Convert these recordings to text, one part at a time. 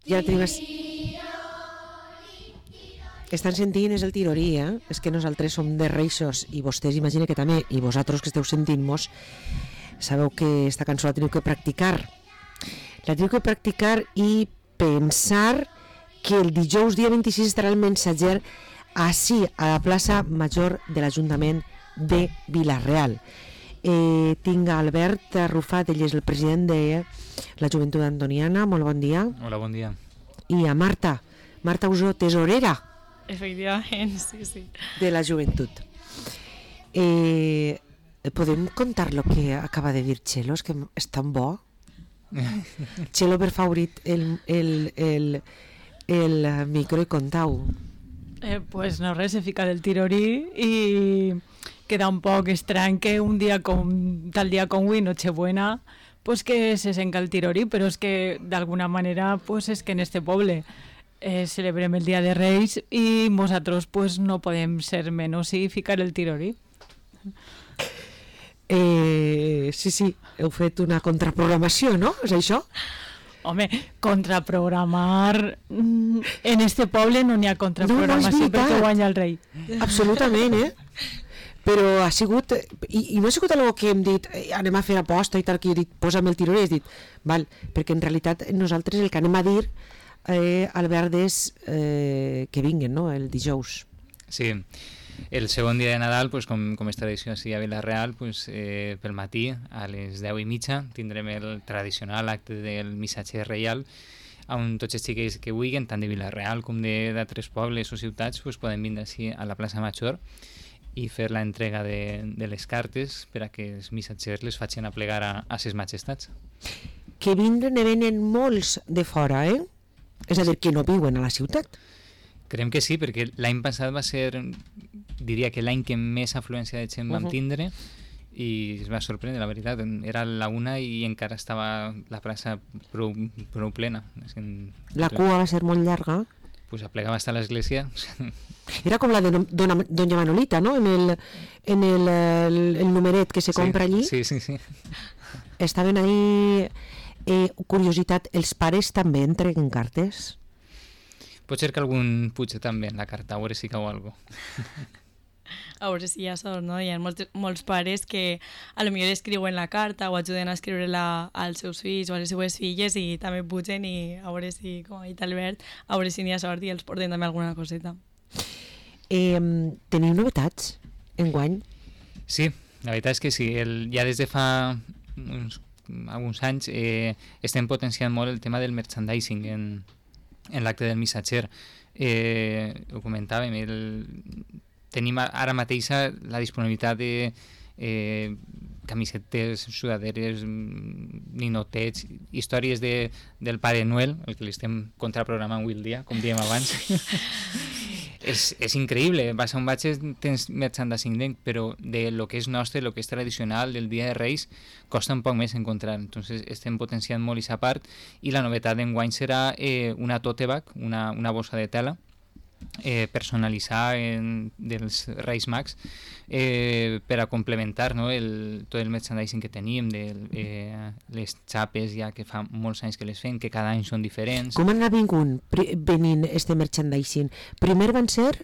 Ja tenim... Estan sentint és el tirorí, És que nosaltres som de Reixos i vostès imagine que també, i vosaltres que esteu sentint-nos, sabeu que esta cançó la teniu que practicar. La teniu que practicar i pensar que el dijous dia 26 estarà el Mensatger així, a la plaça Major de l'Ajuntament de Vila-real. Tinc a Albert Arrufat, ell és el president de la Joventut Antoniana. Molt bon dia. Hola, bon dia. I a Marta Usó, tesorera. Efectivament, sí. De la Joventut. Podem contar lo que acaba de dir Txelo? És que és tan bo. Txelo, per favorit, el micro i contau. Pues no res, se fica del tirorí i queda un poc estrany que un dia tal dia com avui, Nochebuena, pues que se senca el tirorí, però és que d'alguna manera pues és que en este poble celebrem el Dia de Reis i nosaltres pues no podem ser menys i ficar el tirorí. Sí, heu fet una contraprogramació, no? És això? Home, contraprogramar... En este poble no n'hi ha contraprogramació perquè guanya el rei. Absolutament, Però ha sigut... I no ha sigut algo que hem dit anem a fer aposta i tal, que he dit posa'm el tirorí, he dit, val, perquè en realitat nosaltres el que anem a dir Albert és que vinguen, no?, el dijous. Sí, el segon dia de Nadal, pues, com és tradició així a Vila-real, pues, pel matí a les 10:30 tindrem el tradicional acte del missatger reial, on tots els xiquets que vulguin, tant de Vila-real com d'altres pobles o ciutats, pues, poden vindre així a la plaça Major i fer la entrega de les cartes per a que els missatgers les facin a plegar a ses majestats. Que venen molts de fora, És a dir, que no viuen a la ciutat. Creiem que sí, perquè l'any passat va ser, diria que l'any que més afluència de gent vam tindre, i es va sorprendre, la veritat. Era la una i encara estava la plaça prou plena. La cua va ser molt llarga. Pues aplegava hasta l'església. Era com la de Doña Manolita, no? En el numeret que se compra allí. Sí. Estaven ahí... curiositat, els pares també entreguen cartes? Pot ser que algun puja també en la carta, a veure si cau alguna cosa. A veure si hi ha sort, no? Hi ha molts pares que a lo millor escriuen la carta o ajuden a escriure-la als seus fills o a les seues filles i també pugen i a veure si, com ha dit Albert, a veure si n'hi ha sort i els porten també alguna coseta. Teniu novetats enguany? Sí, la veritat és que sí. Ja des de fa alguns anys estem potenciant molt el tema del merchandising en l'acte del missatger. Ho comentàvem, tenim ara mateix la disponibilitat de camisetes, sudaderes, ninotets, històries del Pare Noel, el que li estem contraprogramant avui el dia, com diem abans. És increïble, vas a un batx, tens merchandising, però de lo que és nostre, lo que és tradicional del Dia de Reis, costa un poc més encontrar. Entonces estem potenciant molt aquesta part i la novetat d'enguany serà una tote bag, una bossa de tela personalitzada dels Reis Mags per a complementar, no, tot el merchandising que tenim, les xapes ja que fa molts anys que les fem, que cada any són diferents. Com han venint este merchandising? Primer van ser?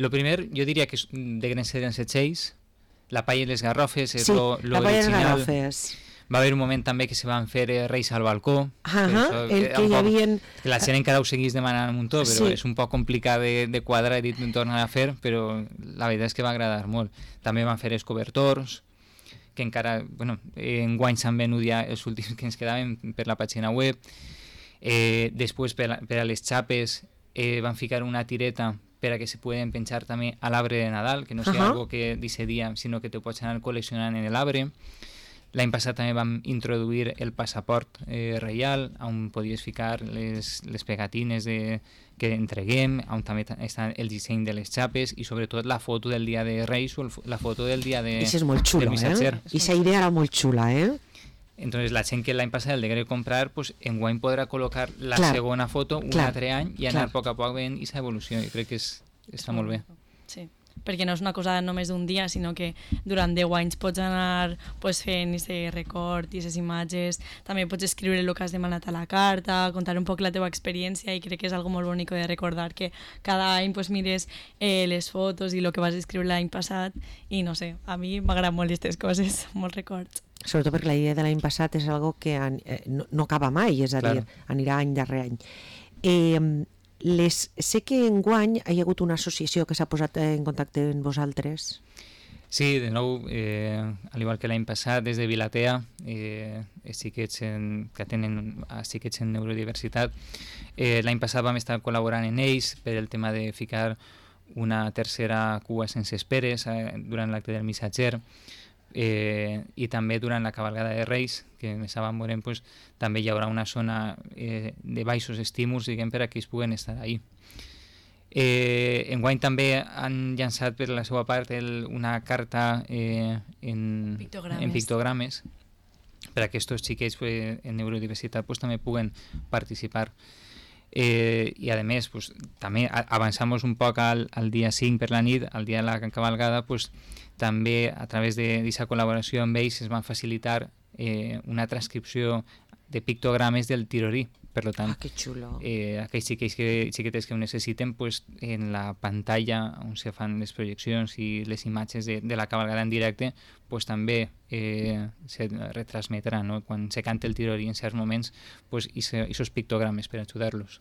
Lo primer, jo diria que de grans serien els setxells, la palla i les garrofes, és lo la palla i les original. garrofes. Va haver un moment també que se van fer Reis al balcó. El que hi havia... Que la gent encara ho seguís demanant un muntó, però és un poc complicat de quadrar i de tornar a fer, però la veritat és que va agradar molt. També van fer els cobertors, que encara, bueno, enguany s'han venut ja els últims que ens quedaven per la pàgina web. Després, per a les xapes, van ficar una tireta per a que se poden penjar també a l'arbre de Nadal, que no sigui algo que d'aquest dia, sinó que te pots anar col·leccionant en l'arbre. L'any passat també vam introduir el passaport reial, on podies ficar les pegatines que entreguem, on també està el disseny de les xapes i sobretot la foto del dia de Reis o la foto del dia de Això és molt xulo, missatger. Aquesta idea era molt xula, Entonces la gent que l'any passat el degué comprar, pues, enguany podrà col·locar la segona foto un altre any i anar a poc veient aquesta evolució. Jo crec que està molt bé. Sí. perquè no és una cosa només d'un dia, sinó que durant 10 anys pots anar pues, fent aquest record i aquestes imatges, també pots escriure el que has demanat a la carta, contar un poc la teva experiència, i crec que és algo molt bonic de recordar que cada any pues, mires les fotos i el que vas escriure l'any passat, i no sé, a mi m'agraden molt aquestes coses, molts records. Sobretot perquè la idea de l'any passat és algo que no acaba mai, és a dir, anirà any darrere any. Sé que enguany hi ha hagut una associació que s'ha posat en contacte amb vosaltres. Sí, de nou, al igual que l'any passat, des de Vilatea, xiquets que tenen xiquets en neurodiversitat, l'any passat vam estar col·laborant en ells per el tema de ficar una tercera cua sense esperes durant l'acte del missatger, i també durant la cavalgada de Reis, que més avant veurem, pues, també hi haurà una zona de baixos estímuls, diguem, per a que ells puguen estar ahí. Enguany també han llançat per la seva part una carta en pictogrames per a que aquests xiquets en neurodiversitat pues, també puguen participar. I a més pues, també avançamos un poc al dia 5 per la nit, al dia de la cavalgada, pues, també a través d'aquesta col·laboració amb ells es van facilitar una transcripció de pictogrames del tirorí. Per tant, que xulo. Aquells xiquetets que ho necessiten, pues, en la pantalla on se fan les projeccions i les imatges de la cavalgada en directe, pues, també se retransmetrà, no? Quan se canta el tirorí en certs moments, pues, aquests pictogrames per ajudar-los.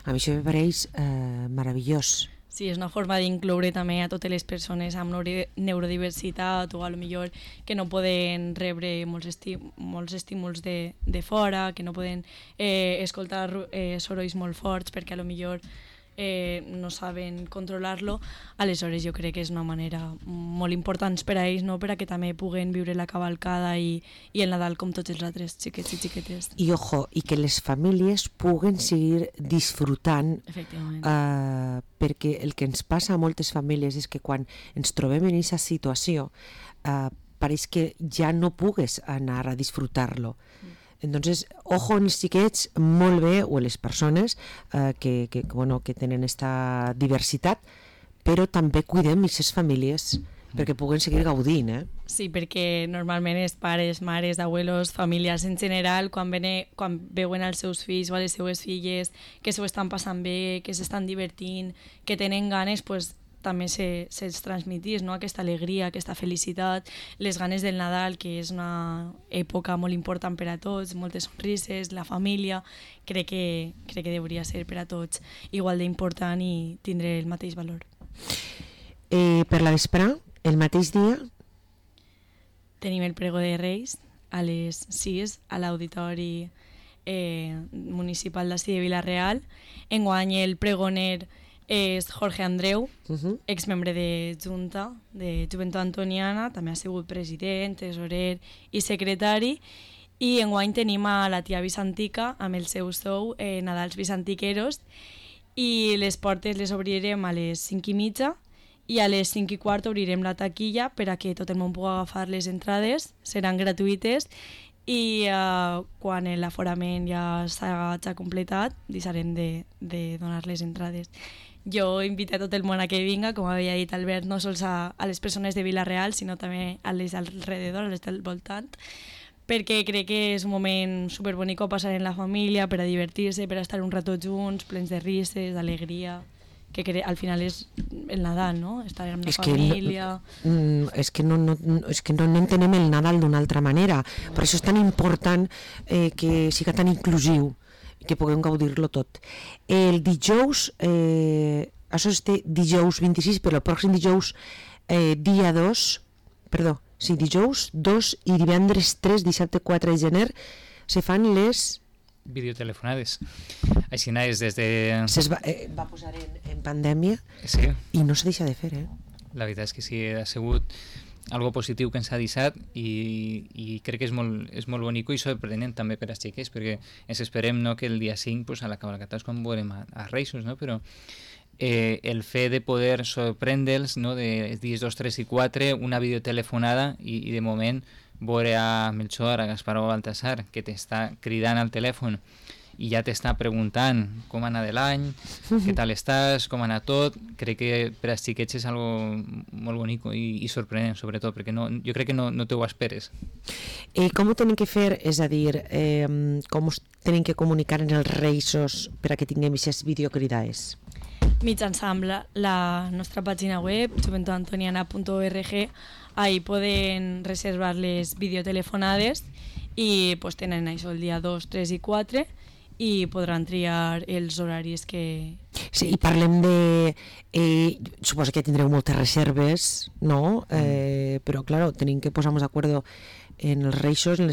A mi això me pareix meravellós. Sí, és una forma d'incloure també a totes les persones amb neurodiversitat o a lo millor que no poden rebre molts estímuls de fora, que no poden escoltar sorolls molt forts perquè a lo millor no saben controlar-lo. Aleshores jo crec que és una manera molt important per a ells, no? Per a que també puguen viure la cavalcada i el Nadal com tots els altres xiquets i xiquetes. I ojo, i que les famílies puguen seguir disfrutant, perquè el que ens passa a moltes famílies és que quan ens trobem en aquesta situació pareix que ja no pugues anar a disfrutar-lo. Entonces, ojo en els xiquets, molt bé, o en les persones que tenen aquesta diversitat, però també cuidem aquestes famílies perquè puguen seguir gaudint. Sí, perquè normalment els pares, mares, abuelos, famílies en general, quan veuen els seus fills o les seues filles que s'ho estan passant bé, que s'estan divertint, que tenen ganes, pues, també se'ls transmetís, no? Aquesta alegria, aquesta felicitat, les ganes del Nadal, que és una època molt important per a tots, moltes sonrises, la família, crec que hauria ser per a tots igual d'important i tindre el mateix valor. Per la vesprà, el mateix dia? Tenim el pregó de Reis a les 6 a l'Auditori Municipal d'ací de Vila-real. Enguany el pregoner és Jorge Andreu, exmembre de Junta, de Joventut Antoniana, també ha sigut president, tesorer i secretari, i enguany tenim a la tia Vicentica amb el seu show Nadals Vicentiqueros, i les portes les obrirem a les 5:30 i a les 5:15 obrirem la taquilla per a que tot el món pugui agafar les entrades, seran gratuïtes, i quan l'aforament ja s'ha completat deixarem de donar les entrades. Jo invito a tot el món a que vinga, com havia dit Albert, no sols a les persones de Vila-real, sinó també a les alrededor, a les del voltant, perquè crec que és un moment superbonic a passar en la família, per a divertir-se, per a estar un rato junts, plens de rises, d'alegria, que al final és el Nadal, no? Estar amb la família... És que no entenem el Nadal d'una altra manera. Per això és tan important que siga tan inclusiu, que puguem gaudir-lo tot. El dijous, això és dijous 26, però el pròxim dijous dia 2, dijous 2 i divendres 3, dissabte 4 de gener, se fan les... videotelefonades. Així és des de... Va posar en pandèmia, sí. I no se deixa de fer, La veritat és que sí, ha sigut algo positiu que ens ha deixat i crec que és molt bonic i sorprenent també per als xiquets, perquè ens esperem, no, que el dia 5 pues, a la cavalcata és quan veurem a Reis, no? Però el fet de poder sorprendre'ls, no, de dies 2, 3 i 4, una videotelefonada i de moment veure a Melchor, a Gaspar o a Baltasar que t'està cridant al telèfon i ja t'està preguntant com ha anat l'any, què tal estàs, com ha anat tot. Crec que per als xiquets és algo molt bonic i sorprenent, sobretot, perquè jo crec que no te ho esperes. Com ho tenen que fer? És a dir, com us tenen que comunicar en els reixos per a que tinguem aquestes videocridades? Mitjançant la nostra pàgina web, joventutantoniana.org, ahí poden reservar les videotelefonades i pues, tenen això el dia 2, 3 i 4 i podran triar els horaris que... Sí, i parlem de... suposo que tindreu moltes reserves, no? Però, clar, tenim que posar-nos d'acord en els reixos, en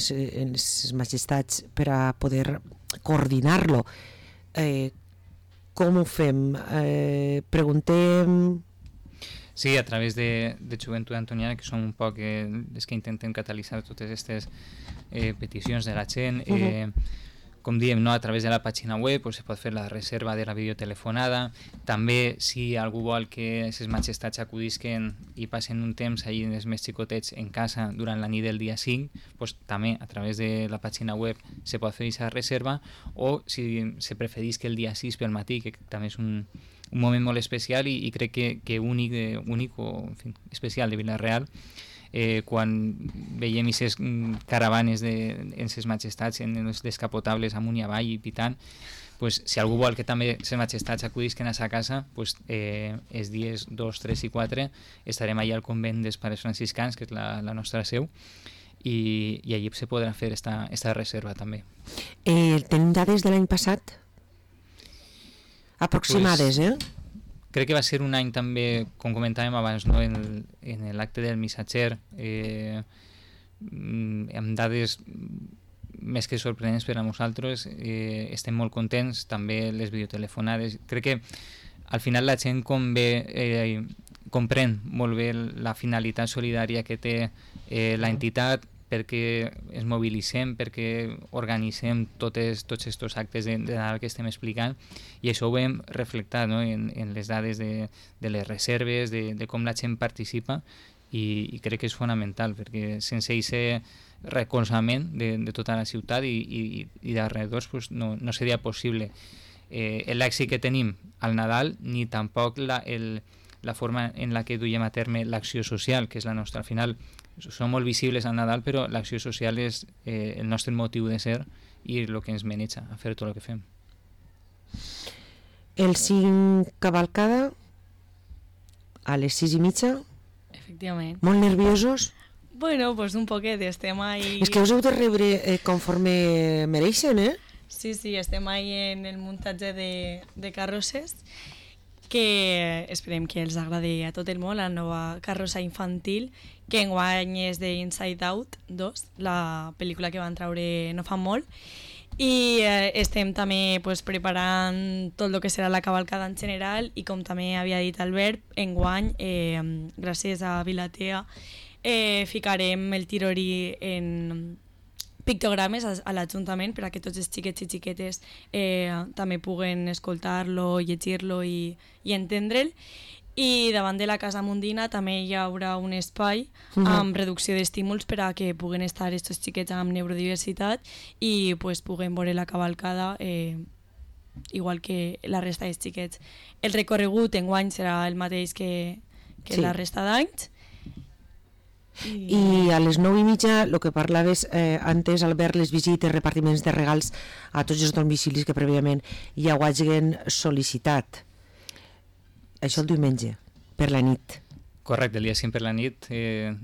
les majestats, per a poder coordinar-lo. Com ho fem? Preguntem... Sí, a través de Joventut Antoniana, que som un poc els que intentem catalitzar totes aquestes peticions de la gent. Com diem, no? A través de la pàgina web pues, se pot fer la reserva de la videotelefonada. També, si algú vol que les majestats acudisquen i passen un temps allí els més xicotets en casa durant la nit del dia 5, pues, també a través de la pàgina web se pot fer aquesta reserva, o si se preferís que el dia 6 pel matí, que també és un moment molt especial i crec que únic o en fi, especial de Vila-real, quan veiem aquestes caravanes en les majestats, en els descapotables amunt i avall i pitant, pues, si algú vol que també les majestats acudisquen a sa casa, pues, els dies 2, 3 i 4 estarem allà al convent dels Pares Franciscans, que és la nostra seu, i allí se podrà fer esta reserva també. Tenim dades de l'any passat? Aproximades, pues, crec que va ser un any també, com comentàvem abans, no? en l'acte del missatger, amb dades més que sorprenents per a nosaltres. Estem molt contents, també les videotelefonades. Crec que al final la gent comprèn molt bé la finalitat solidària que té l'entitat, perquè ens mobilitzem, perquè organitzem tots aquests actes de Nadal que estem explicant, i això ho hem reflectat, no? en les dades de les reserves, de com la gent participa, i crec que és fonamental, perquè sense aquest recolzament de tota la ciutat i d'alrededors pues, no seria possible l'èxit que tenim al Nadal, ni tampoc la forma en la que duiem a terme l'acció social, que és la nostra. Al final som molt visibles al Nadal, però l'acció social és el nostre motiu de ser i el que ens maneja a fer tot el que fem. El 5 cavalcada a les 6:30. Efectivament. Molt nerviosos? Bueno, pues un poquet, estem ahí... És que us heu de rebre conforme mereixen, eh? Sí, estem ahí en el muntatge de carrosses, que esperem que els agradi a tot el món, la nova carrossa infantil, que enguany és de Inside Out 2, la pel·lícula que van traure no fa molt, i estem també pues, preparant tot el que serà la cavalcada en general, i com també havia dit Albert, enguany, gràcies a Vilatea, ficarem el tirorí en pictogrames a l'Ajuntament per a que tots els xiquets i xiquetes també puguen escoltar-lo, llegir-lo i entendre'l. I davant de la Casa Mundina també hi haurà un espai amb reducció d'estímuls per a que puguen estar aquests xiquets amb neurodiversitat i pues, puguen veure la cavalcada igual que la resta dels xiquets. El recorregut enguany serà el mateix que sí, la resta d'anys. I a les 9:30, el que parlaves antes, Albert, les visites, repartiments de regals a tots els domicilis que prèviament ja ho hagin sol·licitat. Això el diumenge, per la nit. Correcte, el dia 5 per la nit.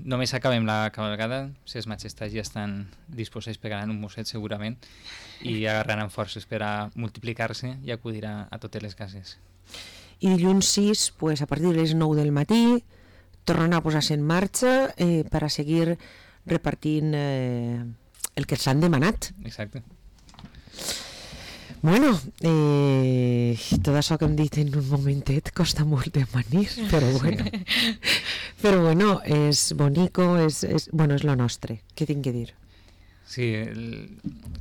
Només acabem la cavalcada, les majestats ja estan disposats, pegaran un mosset segurament i agarraran forces per a multiplicar-se i acudir a totes les cases. I dilluns 6, pues, a partir de les 9 del matí, tornen a posar-se en marxa per a seguir repartint el que s'han demanat. Exacte. Bueno, tot això que hem dit en un momentet costa molt de manir, però bueno, és bonico, és lo nostre, què tinc que dir? Sí,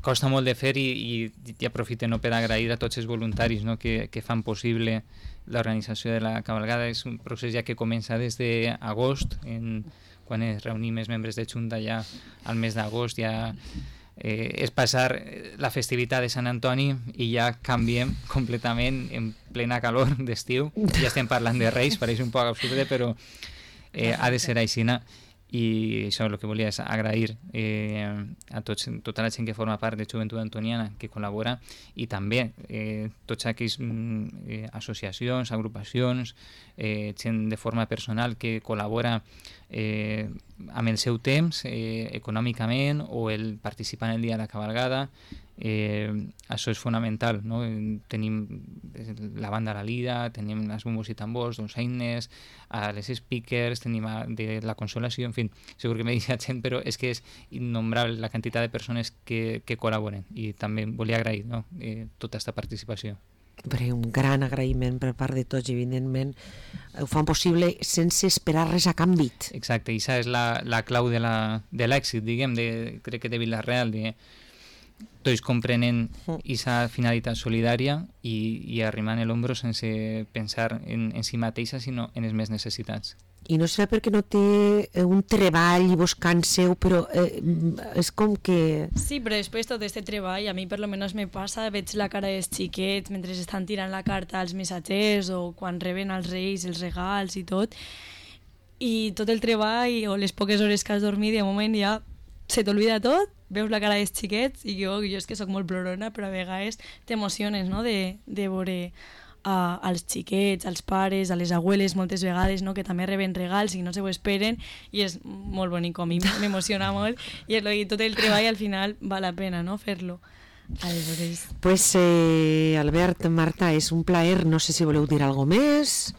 costa molt de fer i aprofito per agrair a tots els voluntaris, no, que fan possible l'organització de la cavalgada. És un procés ja que comença des d'agost, quan es reunim els membres de Junta ja al mes d'agost, ja és passar la festivitat de Sant Antoni i ja canviem completament en plena calor d'estiu. Ja estem parlant de Reis, pareix un poc absurd, però ha de ser així. I això el que volia és agrair a tota la gent que forma part de Joventut Antoniana, que col·labora, i també tots aquells associacions, agrupacions, gent de forma personal que col·labora amb el seu temps, econòmicament, o el participar en el dia de la cabalgada. Això és fonamental, no? Tenim la banda La Lira, tenim les bombos i tambors, doncs eines, les speakers, tenim de la Consolació, en fi, segur que m'he deixat gent, però és que és innombrable la quantitat de persones que col·laboren, i també volia agrair, no? Tota aquesta participació. Un gran agraïment per part de tots, i evidentment ho fan possible sense esperar res a canvi. Exacte, i això és la clau de l'èxit, diguem, crec que de Vila-real, tots comprenent aquesta finalitat solidària i arrimant l'ombro sense pensar en si mateixa, sinó en les més necessitats. I no serà perquè no té un treball i vos canseu, però és com que... Sí, però després tot aquest treball, a mi per lo menos me passa, veig la cara dels xiquets mentre estan tirant la carta als missatgers o quan reben els reis els regals i tot el treball o les poques hores que has dormit, de moment ja se t'olvida tot, veus la cara dels xiquets, i jo és que sóc molt plorona, però a vegades t'emociones, no?, de veure als xiquets, als pares, a les abueles moltes vegades, no?, que també reben regals i no se ho esperen, i és molt bonic, a mi m'emociona molt, i tot el treball al final val la pena, no?, fer-lo. Aleshores... Pues Albert, Marta, és un plaer, no sé si voleu dir alguna més.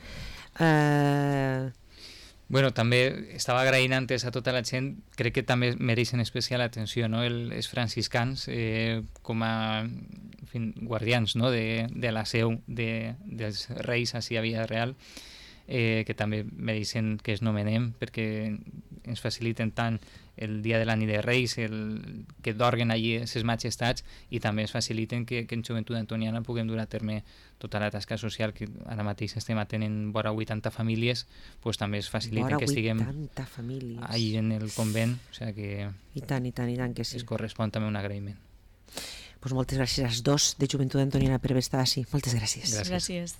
Bueno, també estava agraint antes a tota la gent, crec que també mereixen especial atenció, no? Els franciscans com a guardians, no?, de la seu dels reis així a Vila-real, que també mereixen que es nomenem, perquè ens faciliten tant el dia de la nit de Reis, que dorguen allí les majestats, i també es faciliten que en Joventut Antoniana puguem dur a terme tota la tasca social, que ara mateix estem atenent vora 80 famílies, doncs també es faciliten que estiguem allí en el convent, o sigui que... I tant que sí. Es correspon també un agraïment. Pues moltes gràcies als dos de Joventut Antoniana per haver estat així. Moltes gràcies. Gràcies.